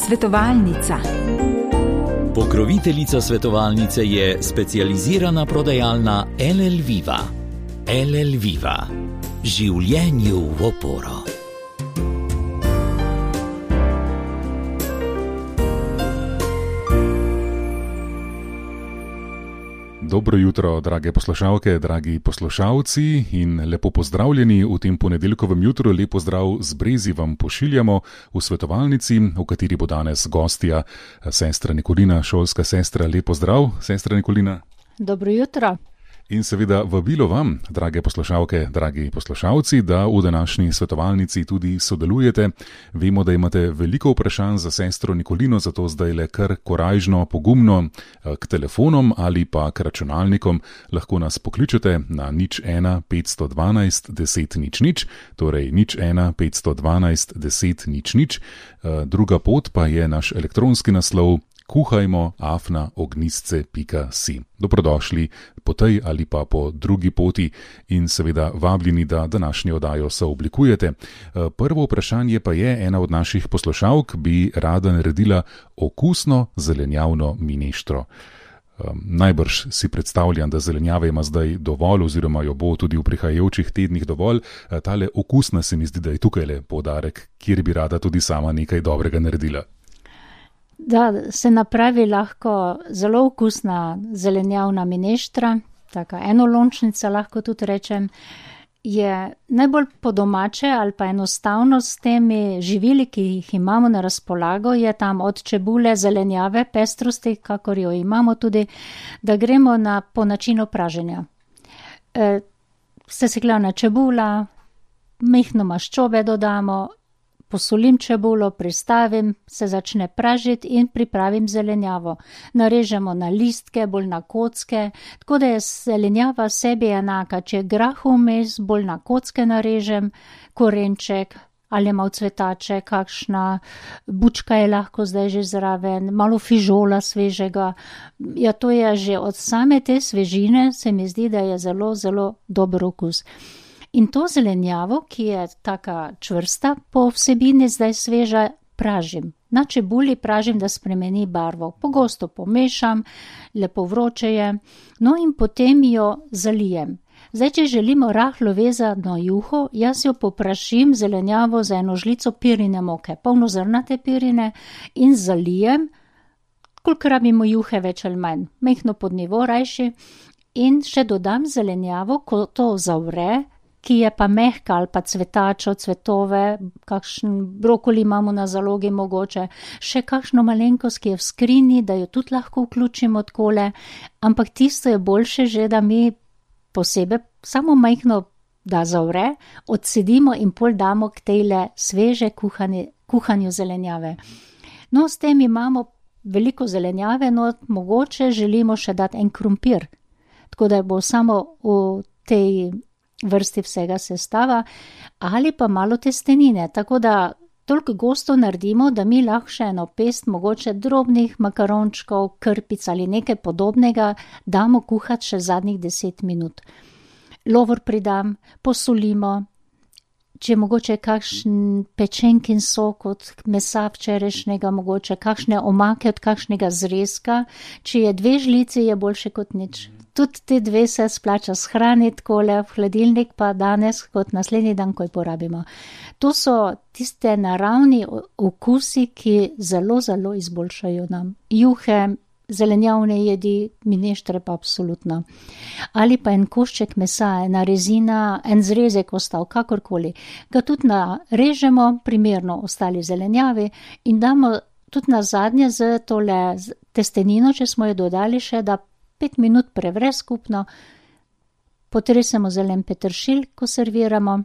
Svetovalnica. Pokroviteljica svetovalnice je specializirana prodajalna LL Viva. LL Viva. Življenju v oporo. Dobro jutro, drage poslušalke, dragi poslušalci in lepo pozdravljeni v tem ponedeljkovem jutru. Lep pozdrav z Brezi vam pošiljamo v svetovalnici, v kateri bo danes gostja sestra Nikolina, šolska sestra. Lep pozdrav, sestra Nikolina. Dobro jutro. In seveda vabilo vam, drage poslušalke, dragi poslušalci, da v današnji svetovalnici tudi sodelujete. Vemo, da imate veliko vprašanj za sestro Nikolino, zato zdaj le kar korajžno, pogumno k telefonom ali pa k računalnikom lahko nas pokličete na 01 512 10 00, torej 01 512 10 00. Druga pot pa je naš elektronski naslov kuhajmo@ognisce.si. Dobrodošli po tej ali pa po drugi poti in seveda vabljeni, da današnjo oddajo sooblikujete. Prvo vprašanje pa je, ena od naših poslušalk bi rada naredila okusno zelenjavno mineštro. Najbrž si predstavljam, da zelenjave ima zdaj dovolj oziroma jo bo tudi v prihajajočih tednih dovolj. Tale okusna se mi zdi, da je tukaj poudarek, kjer bi rada tudi sama nekaj dobrega naredila. Da se napravi lahko zelo okusna zelenjavna mineštra, taka enolončnica lahko tudi rečem, je najbolj po domače ali pa enostavno s temi živili, ki jih imamo na razpolago, je tam od čebule, zelenjave, pestrosti, kakor jo imamo tudi, da gremo po načinu praženja. Sesekljana čebula, mehno maščobe dodamo, posolim čebulo, pristavim, se začne pražiti in pripravim zelenjavo. Narežemo na listke, bolj na kocke, tako da je zelenjava sebi enaka. Če je grah vmes, bolj na kocke narežem, korenček ali malo cvetače, kakšna bučka je lahko zdaj že zraven, malo fižola svežega. Ja, to je že od same te svežine, se mi zdi, da je zelo, zelo dober okus. In to zelenjavo, ki je taka čvrsta po vsebini, zdaj sveža, pražim. Na čebuli pražim, da spremeni barvo. Pogosto pomešam, lepo vroče je, no in potem jo zalijem. Zdaj, če želimo rahlo vezano juho, jaz jo poprašim zelenjavo za eno žlico pirine moke, polnozrnate pirine, in zalijem, koliko rabimo juhe več ali manj, mehno pod nivo rajši, in še dodam zelenjavo, ko to zavre, ki je pa mehka ali pa cvetačo, cvetove, kakšen brokoli imamo na zalogi mogoče, še kakšno malenkost, ki je v skrini, da jo tudi lahko vključimo takole, ampak tisto je boljše že, da mi posebej samo mehno, da zavre, odsedimo in pol damo k tejle sveže kuhanju zelenjave. No, s tem imamo veliko zelenjave, no, mogoče želimo še dati en krompir, tako da bo samo v tej vrsti vsega sestava, ali pa malo testenine, tako da toliko gosto naredimo, da mi lahko še eno pest mogoče drobnih makarončkov, krpic ali nekaj podobnega damo kuhati še zadnjih 10 minut. Lovor pridam, posolimo, če mogoče kakšen pečenkin sok od mesa včerajšnjega, mogoče kakšne omake od kakšnega zrezka, če je 2 žlici, je boljše kot nič. Tudi te 2 se splača shraniti takole v hladilnik, pa danes kot naslednji dan, ko jo porabimo. To so tiste naravni okusi, ki zelo, zelo izboljšajo nam juhe, zelenjavne jedi, mineštre pa absolutno. Ali pa en košček mesa, ena rezina, en zrezek ostal, kakorkoli. Ga tudi narežemo, primerno ostali zelenjavi, in damo tudi na zadnje z tole testenino, če smo jo dodali še, da 5 minut prevre skupno, potresemo zelen peteršilj, ko serviramo.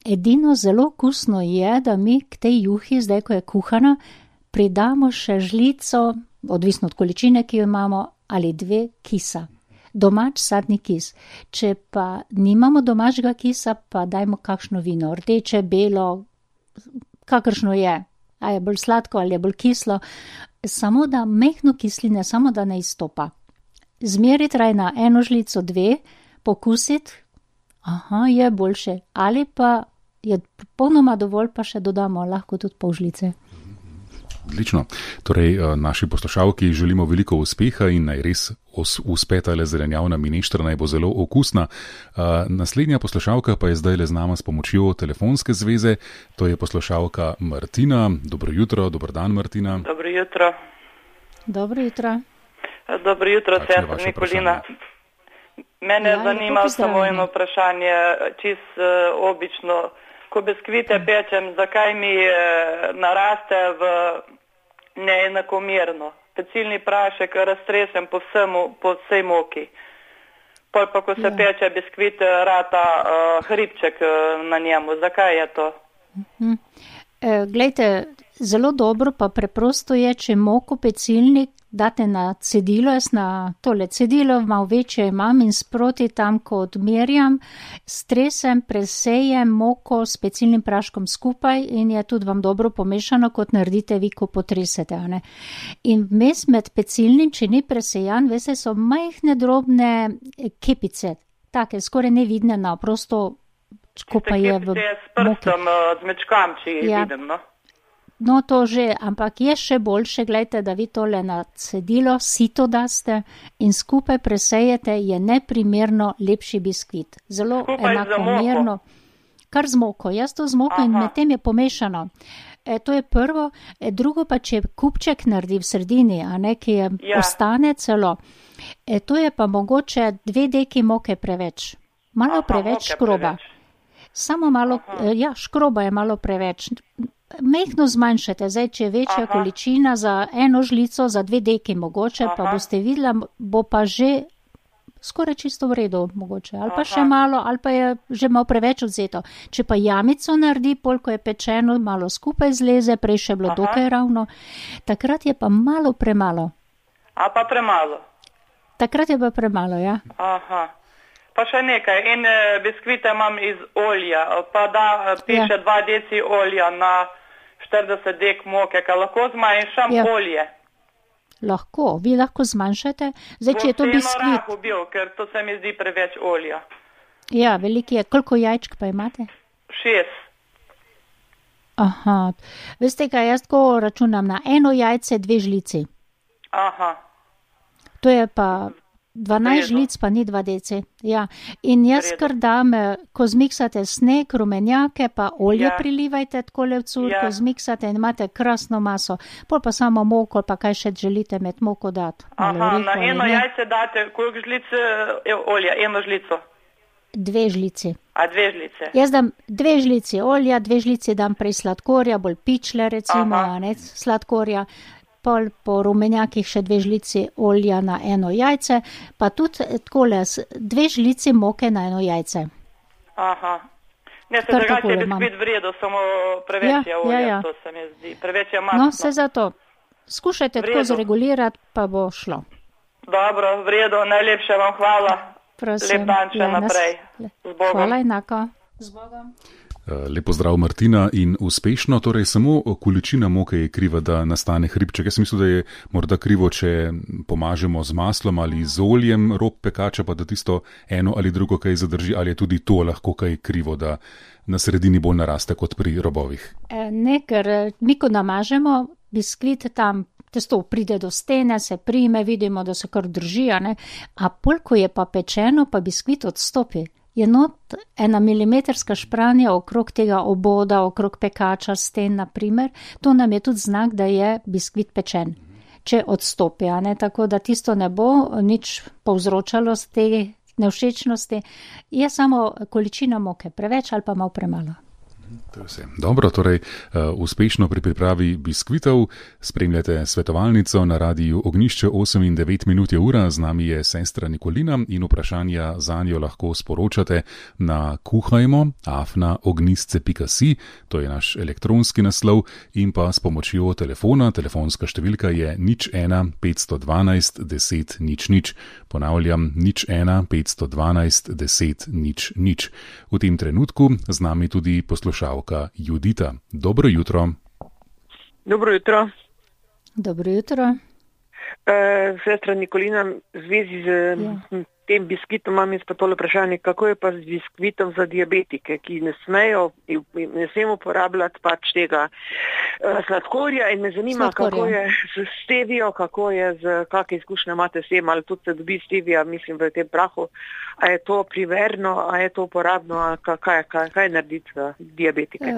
Edino zelo okusno je, da mi k tej juhi, zdaj ko je kuhana, pridamo še žlico, odvisno od količine, ki jo imamo, ali 2 kisa. Domač sadni kis. Če pa nimamo domačega kisa, pa dajmo kakšno vino, rdeče, belo, kakršno je. A je bolj sladko ali je bolj kislo. Samo da mehno kisline, samo da ne izstopa. Zmeriti raj na 1 žlico, 2, pokusiti, je boljše. Ali pa je popolnoma dovolj, pa še dodamo lahko tudi pol žlice. Odlično. Torej, naši poslušalki želimo veliko uspeha in naj res uspe tale zelenjavna mineštra, naj bo zelo okusna. Naslednja poslušalka pa je zdaj le z nama s pomočjo telefonske zveze. To je poslušalka Martina. Dobro jutro, dober dan, Martina. Dobro jutro. Dobro jutro. Dobro jutro, sestra Nikolina. Mene zanima samo eno vprašanje, čisto obično. Ko biskvite pečem, zakaj mi naraste neenakomerno? Pecilni prašek raztresem po vsej moki. Pol pa, ko se peče biskvit, rata hribček na njemu. Zakaj je to? Glejte, zelo dobro pa preprosto je, če moko pecilnik date na cedilo, jaz na tole cedilo malo večje imam in sproti tam, ko odmerjam, stresem, presejem moko s pecilnim praškom skupaj in je tudi vam dobro pomešano, kot naredite vi, ko potresete. Ne? In vmes med pecilnim, če ni presejan, veste, so majhne drobne kepice, take skoraj nevidne, prosto, ko pa je v moki. S prstom, z mečkam, če jih vidim, no? No, to že, ampak je še boljše, gledajte, da vi tole na cedilo sito daste in skupaj presejete, je neprimerno lepši biskvit. Zelo skupaj enakomerno. Kar z moko, jaz to z moko in med tem je pomešano. To je prvo, drugo pa, če kupček naredi v sredini, a ne, ki je ostane celo, to je pa mogoče 2 deki moke preveč. Malo preveč škroba. Samo malo, škroba je malo preveč. Mehko zmanjšate, zdaj, če je večja količina za 1 žlico, za 2 deki mogoče, pa boste videla, bo pa že skoraj čisto v redu mogoče, ali pa še malo, ali pa je že malo preveč odzeto. Če pa jamico naredi, polko je pečeno, malo skupaj zleze, prej še bilo dokaj ravno, takrat je pa malo premalo. A pa premalo? Takrat je pa premalo, ja. Pa še nekaj, in biskvite imam iz olja, pa da piše 2 deci olja na 40 dek moke, kaj lahko zmanjšam olje? Lahko, vi lahko zmanjšate. Zdaj, če je to biskvit... Bo bil, ker to se mi zdi preveč olja. Ja, veliko je. Koliko jajčk pa imate? 6. Veste kaj, jaz tako računam na 1 jajce, 2 žlici. To je pa 12 žlic, pa ni 2 deci. Ja. In jaz kar dam, ko zmiksate sneg, rumenjake, pa olje prilivajte takole v curko, zmiksate in imate krasno maso. Pol pa samo moko, pa kaj še želite med moko dati. Na 1 jajce date, koliko žlic olja? 1 žlico? 2 žlici. 2 žlice? Jaz dam 2 žlici olja, 2 žlici dam prej sladkorja, bolj pičle recimo, sladkorja. Pol po rumenjakih še 2 žlici olja na 1 jajce, pa tudi takole 2 žlici moke na 1 jajce. Ne, se drugače je biskvit v redu, samo preveč je olja, to se mi zdi. Preveč je masno. No, se zato. Skušajte tako zregulirati, pa bo šlo. Dobro, v redu, najlepše vam hvala. Prosim. Lep dan še naprej. Z Bogom. Hvala enako. Z Bogom. Lepo zdrav, Martina, in uspešno, torej samo količina moke je kriva, da nastane hribček. Jaz mislim, da je morda krivo, če pomažemo z maslom ali z oljem rob pekača, pa da tisto eno ali drugo kaj zadrži, ali je tudi to lahko kaj krivo, da na sredini bolj naraste kot pri robovih. Ne, ker mi, ko namažemo biskvit tam, testo pride do stene, se prime, vidimo, da se kar drži, a pol, ko je pa pečeno, pa biskvit odstopi. Je not 1 milimetrska špranja okrog tega oboda, okrog pekača, sten, naprimer, to nam je tudi znak, da je biskvit pečen. Če odstopi, tako da tisto ne bo nič povzročalo z te nevšečnosti, je samo količina moke preveč ali pa malo premalo. To je vse. Dobro, torej uspešno pri pripravi biskvitov. Spremljate svetovalnico na radiju Ognjišče, 8 in 9 minut je ura. Z nami je sestra Nikolina in vprašanja zanjo lahko sporočate na kuhajmo@ognjisce.si, to je naš elektronski naslov, in pa s pomočjo telefona. Telefonska številka je 01 512 10 00. Ponavljam, 01 512 10 00. V tem trenutku z nami tudi poslušalka Judita. Dobro jutro. Dobro jutro. Dobro jutro. Sestra Nikolina, v zvezi z tem biskvitom imam jaz pa tole vprašanje, kako je pa z biskvitom za diabetike, ki ne smemo uporabljati pač tega sladkorja in me zanima, kako je z stevio, kakšne izkušnje imate s tem, ali tudi se dobi stevija, mislim, v tem prahu, a je to primerno, a je to uporabno, a kaj narediti za diabetike?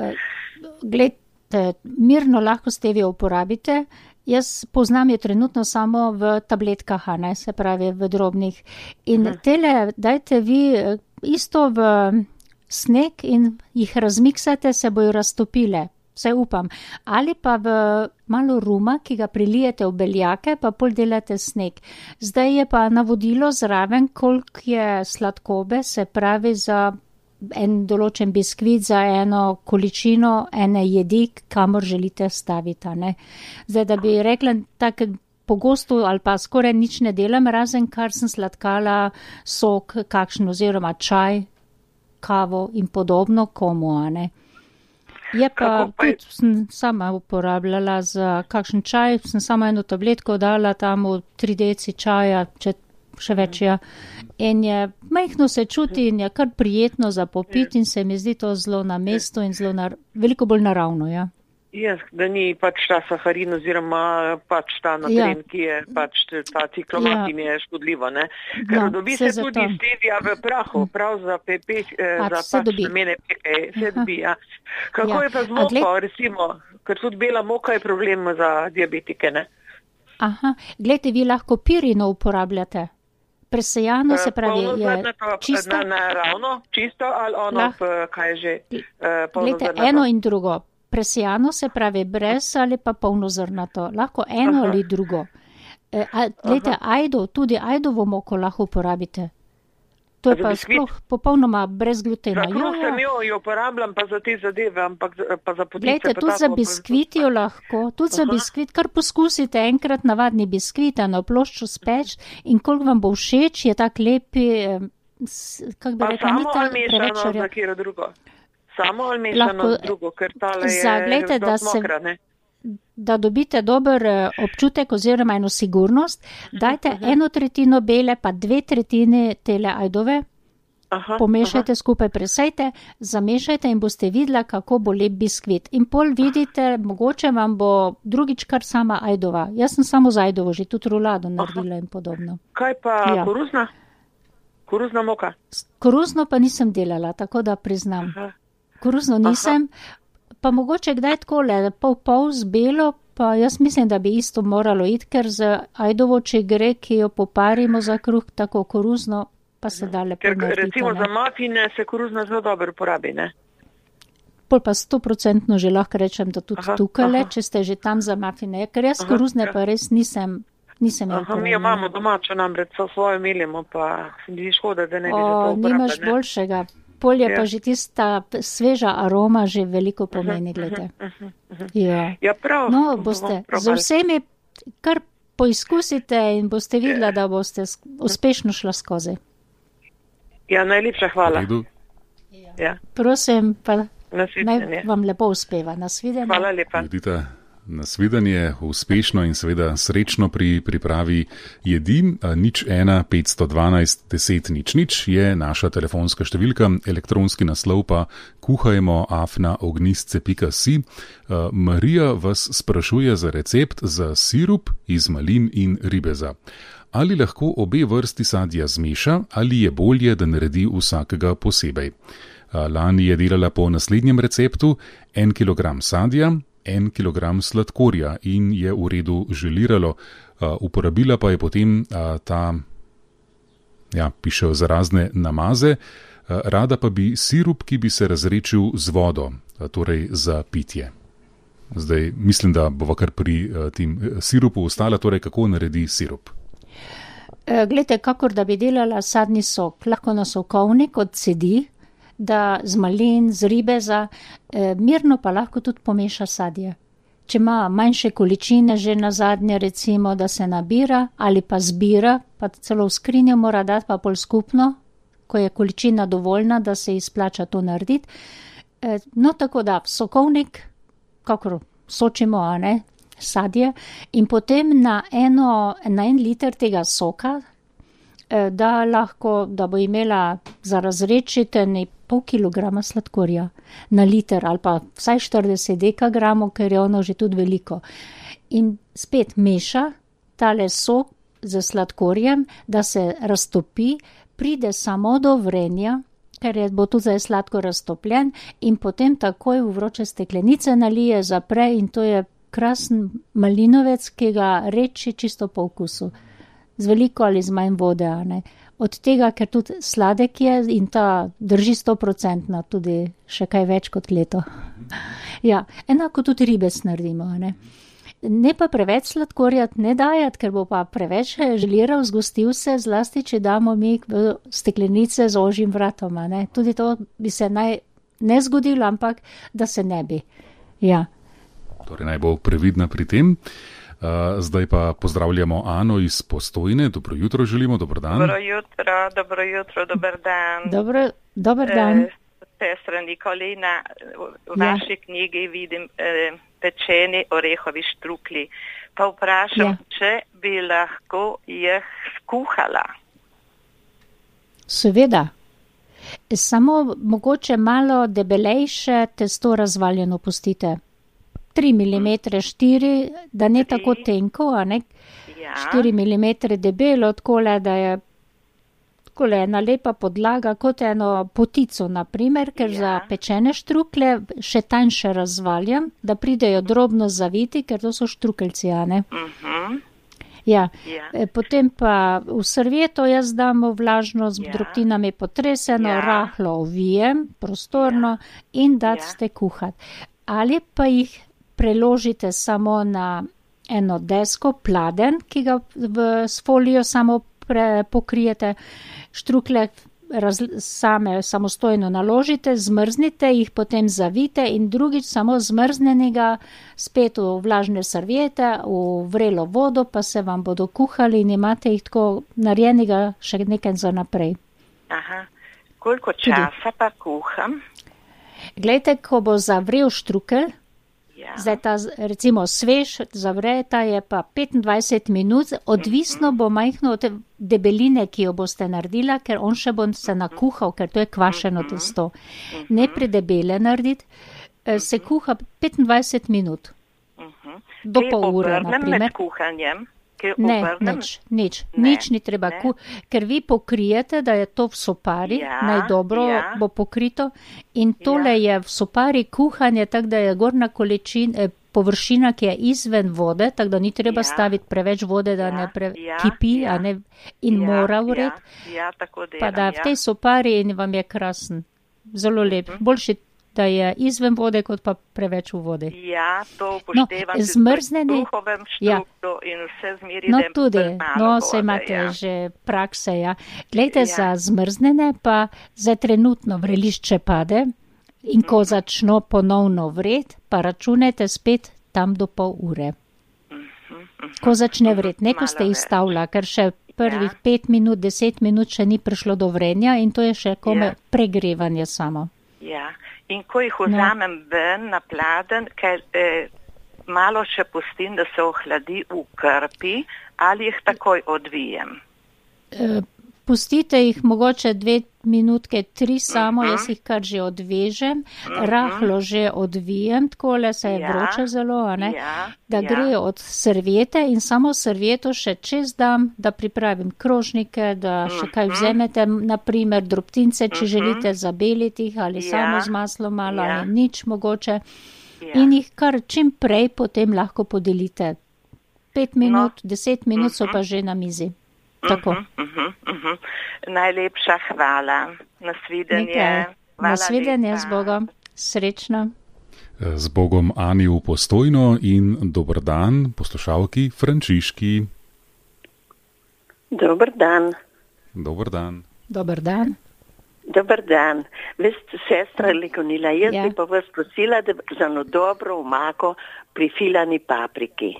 Glejte, mirno lahko stevio uporabite. Jaz poznam je trenutno samo v tabletkah, ne, se pravi v drobnih. In tele dajte vi isto v sneg in jih razmiksate, se bojo raztopile, vse upam. Ali pa v malo ruma, ki ga prilijete v beljake, pa pol delate sneg. Zdaj je pa navodilo zraven, koliko je sladkobe, se pravi za en določen biskvit, za eno količino, ene jedi, kamor želite staviti. Ne? Zdaj, da bi rekla, tako pogosto ali pa skoraj nič ne delam, razen kar sem sladkala sok, kakšen oziroma čaj, kavo in podobno komu, ne. Je pa tudi sem sama uporabljala za kakšen čaj, sem sama eno tabletko dala tam v 3 deci čaja, še več je. In je majhno se čuti in je kar prijetno za popiti in se mi zdi to zelo na mestu in veliko bolj naravno, ja. Ja, da ni pač ta saharin oziroma pač ta natren, ki je pač ta ciklomat, ki mi je škodljivo, ne. Ker dobi se tudi stevia v prahu, prav za namene peke, se dobi, ja. Kako je pa z moko, recimo, ker tudi bela moka je problem za diabetike, ne? Aha, gledajte, vi lahko pirino uporabljate. Presejano se pravi je čisto. Naravno, čisto ali ono, kaj je že polnozrnato? Gledajte, eno in drugo. Presejano se pravi brez ali pa polnozrnato. Lahko eno ali drugo. Gledajte, tudi ajdovo moko lahko uporabite. To je pa sploh popolnoma brez glutena. Sem jo uporabljam pa za te zadeve, ampak pa za potice. Glejte, tudi za biskvit jo lahko, tudi za biskvit, kar poskusite enkrat navadni biskvit, na plošču speč in koliko vam bo všeč, je tak lepi, kako bi rekla, ni ta preveč za kjero drugo. Samo ali mešano z drugo, ker tale je dosti mokra, ne? Da dobite dober občutek oziroma eno sigurnost, dajte 1/3 bele pa 2/3 tele ajdove, pomešajte skupaj, presejte, zamešajte in boste videla, kako bo lep biskvit. In pol vidite, mogoče vam bo drugič kar sama ajdova. Jaz sem samo z ajdovo, že tudi rulado naredila in podobno. Kaj pa koruzna? Koruzna moka? Koruzno pa nisem delala, tako da priznam. Koruzno nisem. Pa mogoče kdaj takole, pol z belo, pa jaz mislim, da bi isto moralo iti, ker z ajdovo, če gre, ki jo poparimo za kruh, tako koruzno, pa se da lepo narediti. Ker recimo za mafine se koruzna zelo dobro uporabi, ne? Pol pa 100% že lahko rečem, da tudi tukaj, če ste že tam za mafine, ker jaz koruzne pa res nisem imel. Mi jo imamo domačo, namreč so svojo melimo, pa se mi škoda, da ne bi že to uporabljali. Nimaš boljšega. Polje pa že tista sveža aroma že veliko pomeni, glede. Ja, prav. No, boste z vsemi kar poizkusite in boste videla, da boste uspešno šla skozi. Ja, najlepša hvala. Ja. Prosim, pa naj vam lepo uspeva. Nasvidenje. Hvala lepa. Nasvidenje, uspešno in seveda srečno pri pripravi jedi. 01 512 10 00 je naša telefonska številka, elektronski naslov pa kuhajmo@ognistce.si. Marija vas sprašuje za recept za sirup iz malin in ribeza. Ali lahko obe vrsti sadja zmeša ali je bolje, da naredi vsakega posebej? Lani je delala po naslednjem receptu: 1 kilogram sadja, 1 kilogram sladkorja in je v redu želiralo. Uporabila pa je potem pišejo za razne namaze. Rada pa bi sirup, ki bi se razredčil z vodo, torej za pitje. Zdaj mislim, da bova kar pri tem sirupu ostala, torej kako naredi sirup. Glejte, kakor da bi delala sadni sok, lahko na sokovnik odsedi, da z malin, z ribeza, mirno pa lahko tudi pomeša sadje. Če ima manjše količine, že na zadnje recimo, da se nabira ali pa zbira, pa celo v skrinjo mora dati, pa pol skupno, ko je količina dovoljna, da se izplača to narediti. No, tako da sokovnik, kakor sočimo, sadje, in potem na 1 liter tega soka da bo imela za razredčiti 0,5 kilograma sladkorja na liter ali pa vsaj 40 dekagramov, ker je ono že tudi veliko. In spet meša tale sok z sladkorjem, da se raztopi, pride samo do vrenja, ker bo tudi zdaj sladko raztopljen in potem takoj v vroče steklenice nalije, zapre in to je krasen malinovec, ki ga reči čisto po okusu. Z veliko ali z manj vode, a ne. Od tega, ker tudi sladek je in ta drži 100%, tudi še kaj več kot leto. Ja, enako tudi ribec naredimo, a ne. Ne pa preveč sladkorjat ne dajati, ker bo pa preveč želiral, zgostil se, zlasti, če damo mi v steklenice z ožjim vratom, a ne. Tudi to bi se ne zgodilo, ampak da se ne bi. Ja. Torej naj bo previdna pri tem. Zdaj pa pozdravljamo Ano iz Postojne. Dobro jutro želimo, dober dan. Dobro jutro, dober dan. Dober dan. Sestra Nikolina, v vaši knjigi vidim pečeni orehovi štrukli. Pa vprašam, če bi lahko jih skuhala. Seveda. Samo mogoče malo debelejše testo razvaljeno pustite. 3 mm, 4, da ne tako tenko, a ne? 4 mm debelo, takole, da je takole ena lepa podlaga, kot eno potico, naprimer, ker za pečene štrukle še tanjše razvaljam, da pridejo drobno zaviti, ker to so štrukeljci, a ne? Ja. Potem pa v servieto jaz dam vlažno z drobtinami potreseno, rahlo ovijem, prostorno in date kuhati. Ali pa jih preložite samo na eno desko, pladen, ki ga s folijo samo pokrijete, štrukle same samostojno naložite, zmrznite, jih potem zavite in drugič samo zmrznenega spet v vlažne serviete, v vrelo vodo, pa se vam bodo kuhali in imate jih tako narejenega še nekaj za naprej. Aha, koliko časa pa kuham? Glejte, ko bo zavrel štrukelj, zdaj ta recimo svež zavre, ta je pa 25 minut, odvisno bo majhno od debeline, ki jo boste naredila, ker on še bo se nakuhal, ker to je kvašeno testo. Ne predebele narediti, se kuha 25 minut. Do pol ure, naprimer. Med kuhanjem? Ne, nič ni treba, ker vi pokrijete, da je to v sopari, najdobro bo pokrito in tole je v sopari kuhanje, tako da je gornja površina, ki je izven vode, tako da ni treba staviti preveč vode, da ne kipi, a ne, in mora vred, pa da v tej sopari in vam je krasen, zelo lep, boljši, da je izven vode, kot pa preveč v vodi. Ja, to upoštevam v duhovem štrukturu in vse zmeri, da je tudi, malo se imate že prakse, Glejte, za zmrznene pa za trenutno vrelišče pade in ko začno ponovno vred, pa računajte spet tam do pol ure. Ko začne vred, ne ko ste izstavila, ker še prvih 5 minut, 10 minut še ni prišlo do vrenja in to je še kome pregrevanje samo. Ja. In ko jih vzamem ven na pladen, ker malo še pustim, da se ohladi v krpi, ali jih takoj odvijem? Pustite jih mogoče 2 minutke, 3 samo, jaz jih kar že odvežem, rahlo že odvijem, takole se je vroče zelo, a ne, da gre od serviete in samo servieto še čez dam, da pripravim krožnike, da še kaj vzemete, naprimer drobtince, če želite zabeliti jih ali samo z maslom malo ali nič mogoče in jih kar čim prej potem lahko podelite. 5 minut, 10 minut so pa že na mizi. Tako. Najlepša hvala. Nasvidenje. Nasvidenje z Bogom. Srečno. Z Bogom Ani v Postojno in dober dan poslušalki Frančiški. Dober dan. Dober dan. Dober dan. Dober dan. Veste, sestra Nikolina, jaz bi pa vas prosila, da za eno dobro omako pri filani papriki.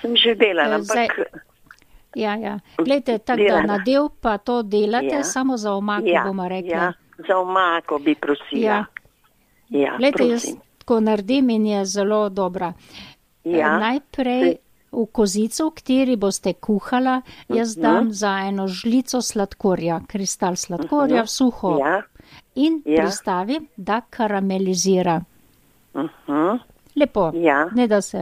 Sem že delala, ampak... Ja. Glejte, tako da nadev pa to delate, samo za omako bomo rekli. Ja, za omako bi prosila. Glejte, jaz tako naredim in je zelo dobra. Najprej v kozico, v kateri boste kuhala, jaz dam za eno žlico sladkorja, kristal sladkorja v suho in pristavim, da karamelizira. Lepo, ne da se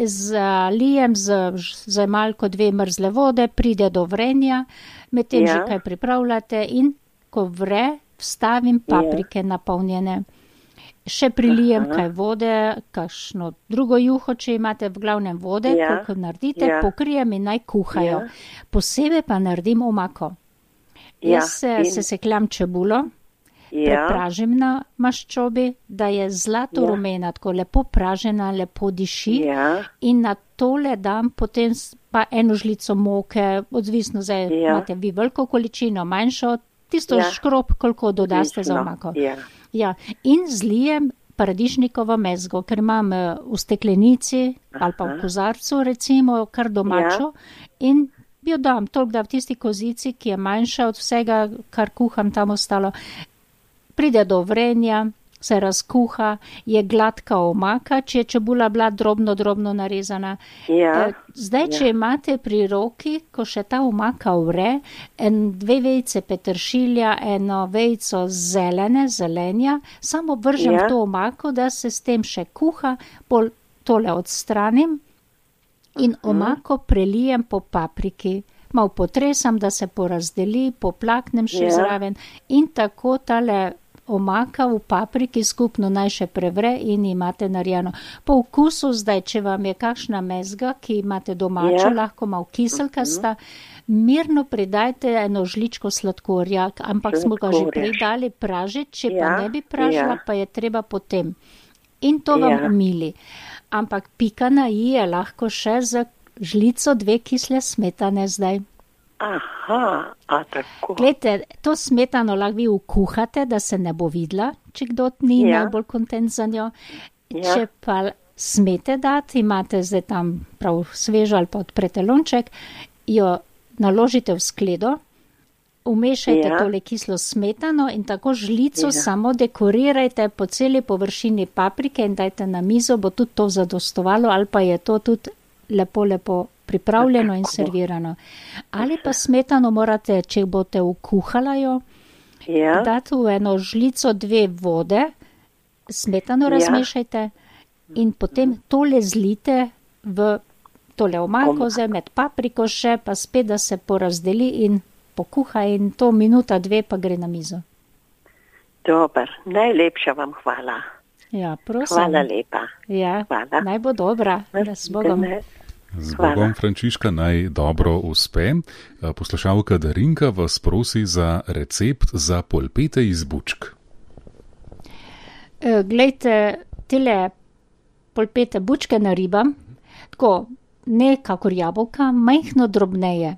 zalijem z malko 2 mrzle vode, pride do vrenja, medtem že kaj pripravljate in ko vre, vstavim paprike napolnjene. Še prilijem kaj vode, kakšno drugo juho, če imate v glavnem vode, koliko naredite, pokrijem in naj kuhajo. Posebej pa naredim omako. Jaz sesekljam čebulo, prepražim na maščobi, da je zlato rumena, tako lepo pražena, lepo diši in na tole dam potem pa eno žlico moke, odvisno zdaj imate vi veliko količino, manjšo, tisto škrob, koliko dodaste za omako. Ja, in zlijem paradižnikovo mezgo, ker imam v steklenici ali pa v kozarcu recimo kar domačo in jo dam toliko, da v tisti kozici, ki je manjša od vsega, kar kuham tam ostalo, pride do vrenja, se razkuha, je gladka omaka, če je čebula bila drobno narezana. Zdaj, če imate pri roki, ko še ta omaka vre, 2 vejice peteršilja, 1 vejico zelenja, samo vržem to omako, da se s tem še kuha, pol tole odstranim in omako prelijem po papriki. Malo potresam, da se porazdeli, poplaknem še zraven in tako tale omaka v papriki skupno naj še prevre in imate narejeno. Po okusu zdaj, če vam je kakšna mezga, ki imate domačo, lahko malo kiselkasta, mirno pridajte 1 žličko sladkorja, ampak smo ga že prej dali pražiti, če pa ne bi pražila, pa je treba potem. In to vam umili. Ampak pika na i je lahko še za žlico 2 kisle smetane zdaj. Aha, tako. Glejte, to smetano lahko vi ukuhate, da se ne bo videla, če kdo ni najbolj kontent za njo. Če pa smete dati, imate zdaj tam prav svežo ali pa odprete lonček, jo naložite v skledo, umešajte tole kislo smetano in tako žlico samo dekorirajte po celi površini paprike in dajte na mizo, bo tudi to zadostovalo ali pa je to tudi lepo pripravljeno in servirano. Ali pa smetano morate, če boste ukuhala jo, dati v 1 žlico 2 vode, smetano razmešajte in potem tole zlite v tole omako, zdaj med papriko še, pa spet, da se porazdeli in pokuha in to 1, 2 pa gre na mizo. Dobar, najlepša vam hvala. Ja, prosim. Hvala lepa. Ja, naj bo dobra. S Bogom. Z Bogom, Frančiška, naj dobro uspe. Poslušalka Darinka vas prosi za recept za polpete iz bučk. Glejte, tele polpete bučke naribam, tako ne kakor jabolka, majhno drobneje,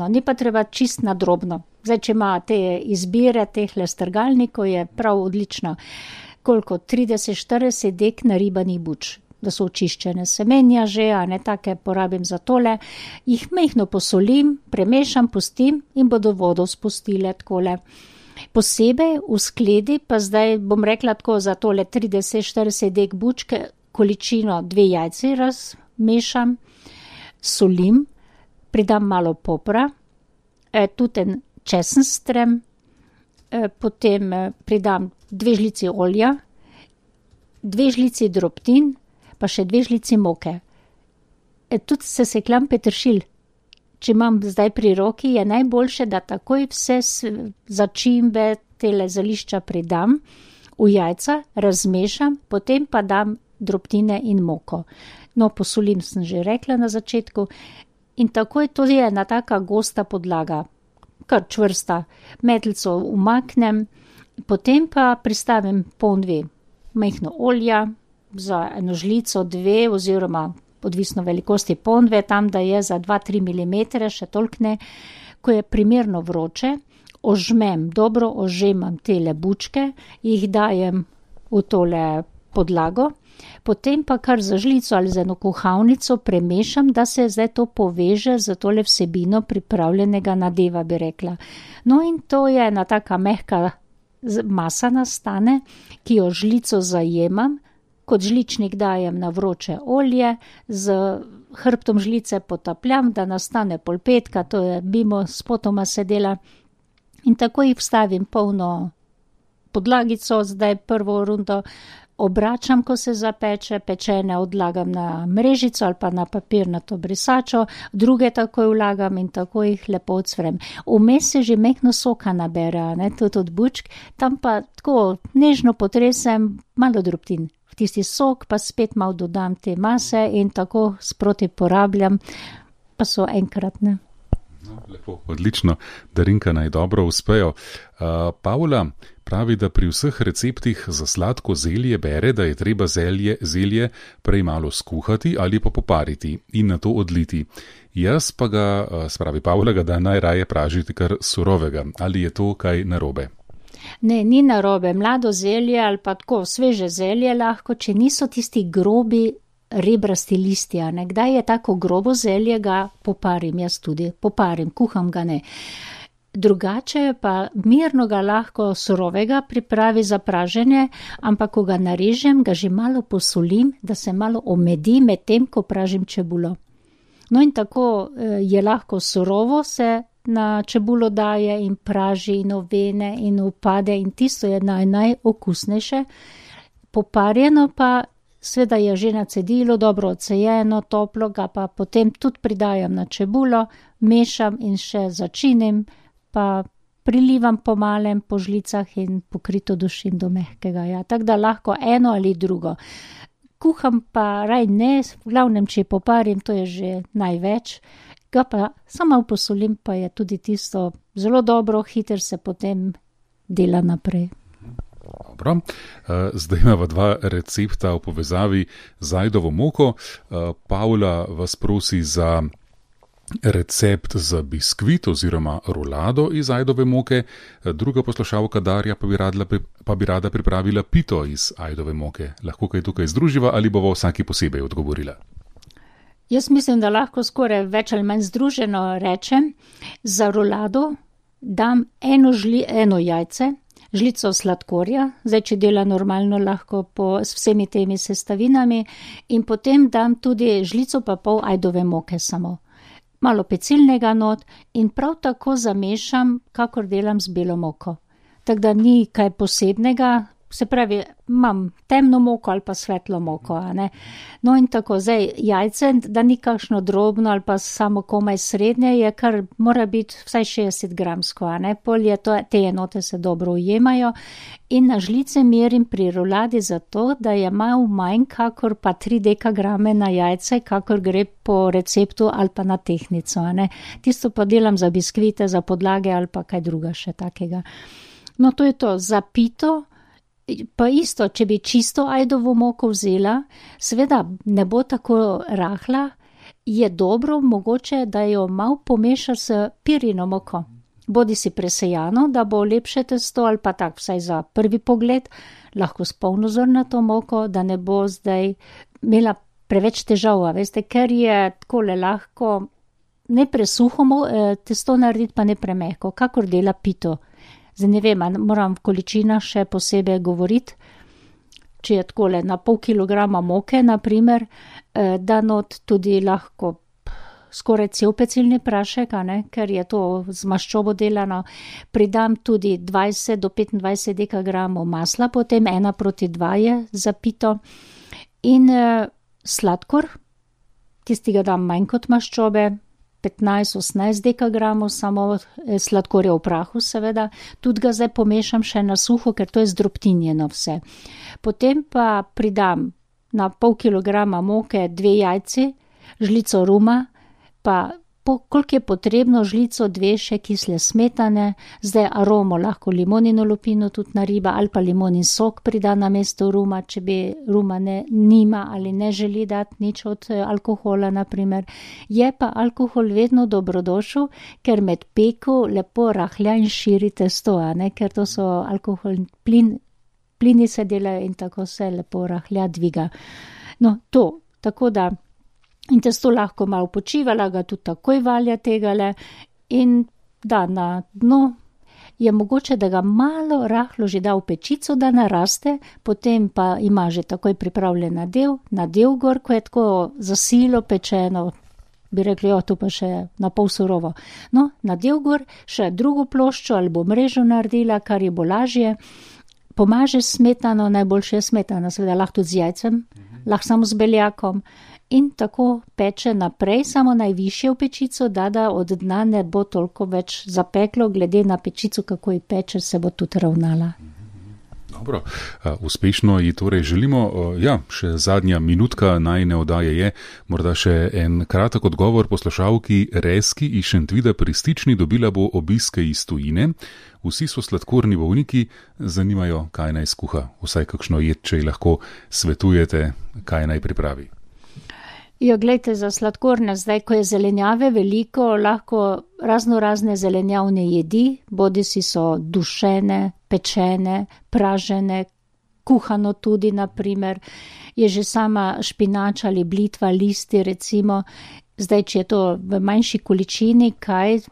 ni pa treba čist na drobno. Zdaj, če imate izbire tehle strgalnikov, je prav odlično. Koliko? 30-40 dek naribanih buč. Da so očiščene semenja že, a ne take porabim za tole, jih majhno posolim, premešam, pustim in bodo vodo spustile takole. Posebej v skledi, pa zdaj bom rekla tako za tole 30-40 dek bučke, količino 2 jajci razmešam, solim, pridam malo popra, tudi en česenstrem, potem pridam 2 žlici olja, 2 žlici drobtin, pa še 2 žlici moke. Tudi sesekljam peteršilj. Če imam zdaj pri roki, je najboljše, da takoj vse začimbe, tele zelišča pridam v jajca, razmešam, potem pa dam drobtine in moko. No, posolim sem že rekla na začetku in takoj to je ena taka gosta podlaga, kar čvrsta. Metlico umaknem, potem pa pristavim 1,5 majhno olja, za 1 žlico 2 oziroma odvisno velikosti 1,5, tam da je za 2-3 mm, še toliko ne. Ko je primerno vroče, dobro ožemam tele bučke, jih dajem v tole podlago, potem pa kar za žlico ali za 1 kuhalnico premešam, da se zdaj to poveže za tole vsebino pripravljenega nadeva, bi rekla. No in to je ena taka mehka masa nastane, ki jo žlico zajemam, kot žličnik dajem na vroče olje, z hrbtom žlice potapljam, da nastane polpetka, to je mimo spotoma se dela, in tako jih vstavim polno podlagico, zdaj prvo rundo obračam, ko se zapeče, pečene odlagam na mrežico ali pa na papirnato brisačo, druge takoj vlagam in tako jih lepo odsvrem. Vmes se že mehko soka nabere, ne, tudi od bučk, tam pa tako nežno potresem malo drobtin. V tisti sok pa spet malo dodam te mase in tako sproti porabljam, pa so enkratne. No, lepo, odlično, Darinka naj dobro uspejo. Pavla pravi, da pri vseh receptih za sladko zelje bere, da je treba zelje prej malo skuhati ali pa popariti in nato odliti. Jaz pa ga, spravi Pavla, da najraje pražiti kar surovega. Ali je to kaj narobe? Ne, ni narobe. Mlado zelje ali pa tako sveže zelje lahko, če niso tisti grobi rebrasti listja. Kdaj je tako grobo zelje, ga poparim, jaz tudi poparim, kuham ga ne. Drugače pa mirno ga lahko surovega pripravi za praženje, ampak ko ga narežem, ga že malo posolim, da se malo omedi med tem, ko pražim čebulo. No in tako je lahko surovo se na čebulo daje in praži in ovene in upade in tisto je najokusnejše. Poparjeno pa sveda je že na cedilu, dobro odsejeno, toplo, ga pa potem tudi pridajam na čebulo, mešam in še začinim, pa prilivam po malem po žlicah in pokrito dušim do mehkega. Ja. Tako da lahko eno ali drugo. Kuham pa raj ne, v glavnem, če poparim, to je že največ. Ga pa samo posolim, pa je tudi tisto zelo dobro, hiter se potem dela naprej. Dobro, zdaj imamo 2 recepta v povezavi z ajdovo moko. Pavla vas prosi za recept za biskvit oziroma rolado iz ajdove moke, druga poslušalka Darja pa bi rada pripravila pito iz ajdove moke. Lahko kaj tukaj združiva ali bo vsaki posebej odgovorila? Jaz mislim, da lahko skoraj več ali manj združeno rečem. Za rolado dam eno jajce, žlico sladkorja, zdaj če dela normalno lahko s vsemi temi sestavinami, in potem dam tudi žlico pa pol ajdove moke samo. Malo pecilnega not in prav tako zamešam, kakor delam z belo moko. Tako da ni kaj posebnega, se pravi, imam temno moko ali pa svetlo moko. No in tako, zdaj jajce, da ni kakšno drobno ali pa samo komaj srednje, je kar mora biti vsaj 60 gramsko. Pol je to, te enote se dobro ujemajo in na žlice merim pri roladi zato, da je malo manj kakor pa 3 dekagrame na jajce, kakor gre po receptu ali pa na tehnico. Tisto pa delam za biskvite, za podlage ali pa kaj druga še takega. No to je to, za pito. Pa isto, če bi čisto ajdovo moko vzela, seveda ne bo tako rahla, je dobro mogoče, da jo malo pomeša s pirino moko. Bodi si presejano, da bo lepše testo ali pa tak vsaj za prvi pogled, lahko s polnozrnato moko, da ne bo zdaj imela preveč težav, veste, ker je takole lahko ne presuho testo narediti, pa ne premehko, kakor dela pito. Zdaj ne vem, moram v količinah še posebej govoriti, če je takole na pol kilograma moke, naprimer, da not tudi lahko skoraj cel pecilni prašek, ker je to z maščobo delano, pridam tudi 20 do 25 dekagramov masla, potem 1:2 je za pito in sladkor, tistega dam manj kot maščobe, 15-18 dekagramov samo sladkorja v prahu seveda, tudi ga zdaj pomešam še na suho, ker to je zdrobtinjeno vse. Potem pa pridam na pol kilograma moke 2 jajci, žlico ruma, pa koliko je potrebno, žlico 2 še kisle smetane, zdaj aromo lahko limonino lupino tudi nariba ali pa limonin sok prida na mesto ruma, če bi ruma nima ali ne želi dati nič od alkohola naprimer. Je pa alkohol vedno dobrodošel, ker med peko lepo rahlja in širi testo, ker to so alkoholni plini se delajo in tako se lepo rahlja dviga. No to, tako da in testo lahko malo počivala, ga tudi takoj valja tegale in da na dno je mogoče, da ga malo rahlo že da v pečico, da naraste, potem pa ima že takoj pripravljen nadev gor, ko je tako za silo pečeno, bi rekli, to pa še na pol surovo. No, nadev gor, še drugo ploščo ali bo mrežo naredila, kar je bo lažje. Pomaže smetano, najboljše je smetana, seveda lahko tudi z jajcem, lahko samo z beljakom. In tako peče naprej, samo najvišje v pečico, da od dna ne bo toliko več zapeklo, glede na pečico, kako ji peče, se bo tudi ravnala. Dobro, uspešno ji torej želimo. Še zadnja minutka najine oddaje je, morda še en kratek odgovor poslušalki Reski iz Šentvida pri Stični, dobila bo obiske iz tujine. Vsi so sladkorni bolniki, zanimajo, kaj naj skuha. Vsaj kakšno jed, če ji lahko svetujete, kaj naj pripravi. Glejte, za sladkorne, zdaj, ko je zelenjave veliko, lahko razne zelenjavne jedi, bodisi so dušene, pečene, pražene, kuhano tudi, naprimer, je že sama špinača ali blitva, listi, recimo. Zdaj, če je to v manjši količini,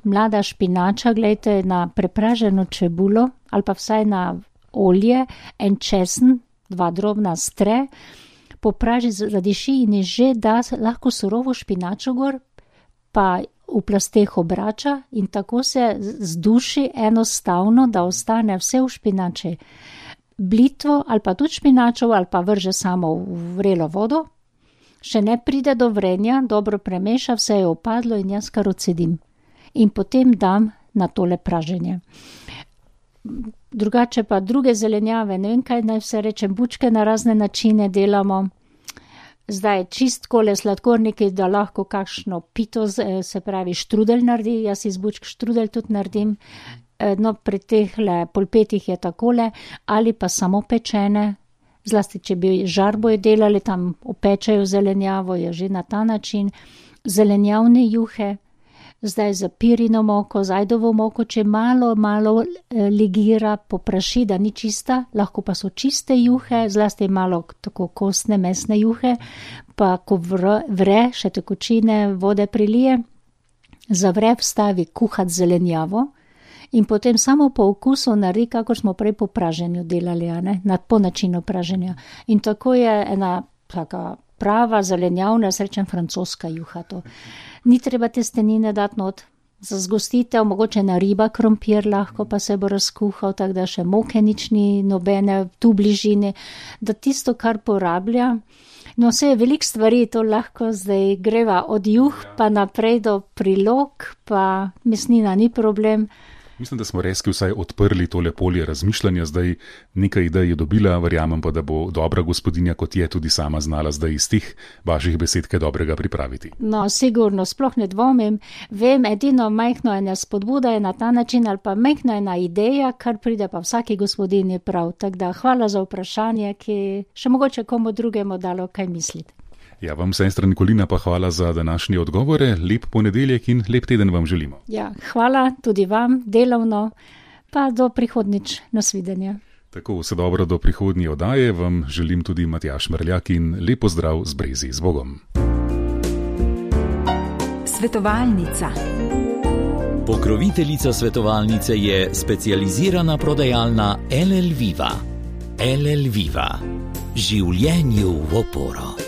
mlada špinača, glejte, na prepraženo čebulo ali pa vsaj na olje, en česen, 2 drobna stre, popraži zadiši in je že da lahko surovo špinačo gor, pa v plasteh obrača in tako se zduši enostavno, da ostane vse v špinači. Blitvo ali pa tudi špinačo ali pa vrže samo v vrelo vodo, še ne pride do vrenja, dobro premeša, vse je opadlo in jaz kar odsedim. In potem dam na tole praženje. Drugače pa druge zelenjave, ne vem kaj naj vse rečem, bučke na razne načine delamo. Zdaj čistkole sladkorniki, da lahko kakšno pito, se pravi štrudelj naredi, jaz iz bučk štrudelj tudi naredim. No, pri tehle polpetih je takole, ali pa samo pečene, zlasti če bi žarboje delali, tam opečajo zelenjavo, je že na ta način. Zelenjavne juhe, zdaj za pirino moko, z ajdovo moko, če malo ligira, popraši, da ni čista, lahko pa so čiste juhe, zlasti malo tako kostne, mesne juhe, pa ko vre, še tekočine vode prilije, zavre, vstavi kuhat zelenjavo in potem samo po okusu naredi, kako smo prej po praženju delali, po načinu praženja. In tako je ena taka prava zelenjavna, srečen francoska juha to. Ni treba testenine dati not, za zgostitev, mogoče na riba krompir lahko, pa se bo razkuhal, tako da še moke nič ni nobene tu bližini, da tisto, kar porablja. No, vse je veliko stvari, to lahko zdaj greva od juh pa naprej do prilog, pa mesnina ni problem. Mislim, da smo Reski vsaj odprli tole polje razmišljanja, zdaj nekaj idej je dobila, verjamem pa, da bo dobra gospodinja, kot je tudi sama znala zdaj iz tih vaših besed kaj dobrega pripraviti. No, sigurno, sploh ne dvomim. Vem, edino majhno ena spodbuda je na ta način ali pa majhna ena ideja, kar pride pa vsaki gospodinji prav. Tako da hvala za vprašanje, ki še mogoče komu drugemu dalo kaj misliti. Ja, vam, sestra Nikolina, pa hvala za današnje odgovore, lep ponedeljek in lep teden vam želimo. Ja, hvala tudi vam, delovno, pa do prihodnjič, nasvidenja. Tako, vse dobro do prihodnje oddaje, vam želim tudi Matjaž Mrljak in lep pozdrav z Brezi, z Bogom. Svetovalnica. Pokroviteljica svetovalnice je specializirana prodajalna LL Viva. LL Viva. Življenju v oporo.